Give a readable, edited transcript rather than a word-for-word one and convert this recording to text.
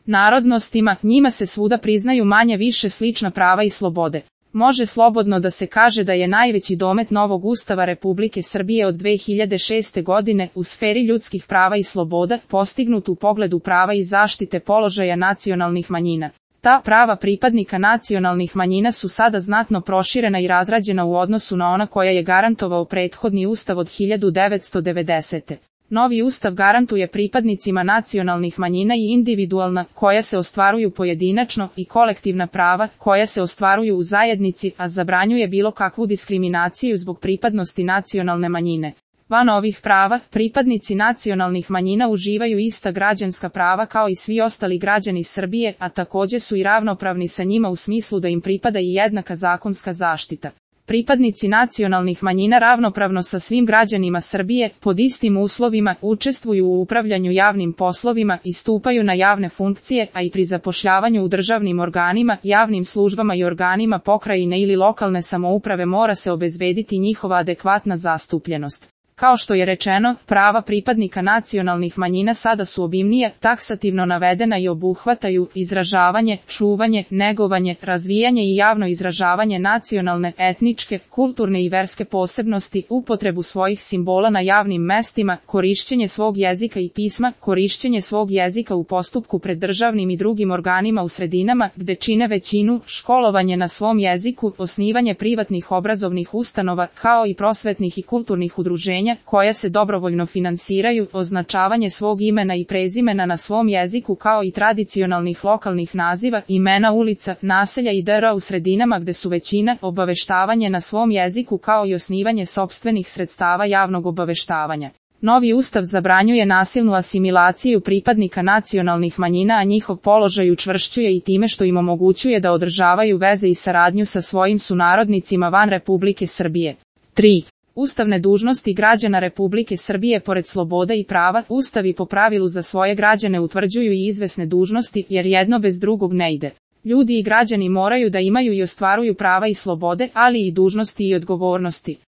narodnostima, njima se svuda priznaju manje više slična prava i slobode. Može slobodno da se kaže da je najveći domet novog Ustava Republike Srbije od 2006. godine u sferi ljudskih prava i sloboda postignut u pogledu prava i zaštite položaja nacionalnih manjina. Ta prava pripadnika nacionalnih manjina su sada znatno proširena i razrađena u odnosu na ona koja je garantovao prethodni Ustav od 1990. Novi Ustav garantuje pripadnicima nacionalnih manjina i individualna, koja se ostvaruju pojedinačno, i kolektivna prava, koja se ostvaruju u zajednici, a zabranjuje bilo kakvu diskriminaciju zbog pripadnosti nacionalne manjine. Van ovih prava, pripadnici nacionalnih manjina uživaju ista građanska prava kao i svi ostali građani Srbije, a takođe su i ravnopravni sa njima u smislu da im pripada i jednaka zakonska zaštita. Pripadnici nacionalnih manjina ravnopravno sa svim građanima Srbije, pod istim uslovima, učestvuju u upravljanju javnim poslovima i stupaju na javne funkcije, a i pri zapošljavanju u državnim organima, javnim službama i organima pokrajine ili lokalne samouprave mora se obezbediti njihova adekvatna zastupljenost. Kao što je rečeno, prava pripadnika nacionalnih manjina sada su obimnije, taksativno navedena i obuhvataju izražavanje, čuvanje, negovanje, razvijanje i javno izražavanje nacionalne, etničke, kulturne i verske posebnosti, upotrebu svojih simbola na javnim mestima, korišćenje svog jezika i pisma, korišćenje svog jezika u postupku pred državnim i drugim organima u sredinama gde čine većinu, školovanje na svom jeziku, osnivanje privatnih obrazovnih ustanova, kao i prosvetnih i kulturnih udruženja koja se dobrovoljno finansiraju, označavanje svog imena i prezimena na svom jeziku kao i tradicionalnih lokalnih naziva, imena ulica, naselja i dr. u sredinama gde su većina, obaveštavanje na svom jeziku kao i osnivanje sopstvenih sredstava javnog obaveštavanja. Novi Ustav zabranjuje nasilnu asimilaciju pripadnika nacionalnih manjina, a njihov položaj učvršćuje i time što im omogućuje da održavaju veze i saradnju sa svojim sunarodnicima van Republike Srbije. 3. Ustavne dužnosti građana Republike Srbije. Pored sloboda i prava, Ustavi po pravilu za svoje građane utvrđuju i izvesne dužnosti, jer jedno bez drugog ne ide. Ljudi i građani moraju da imaju i ostvaruju prava i slobode, ali i dužnosti i odgovornosti.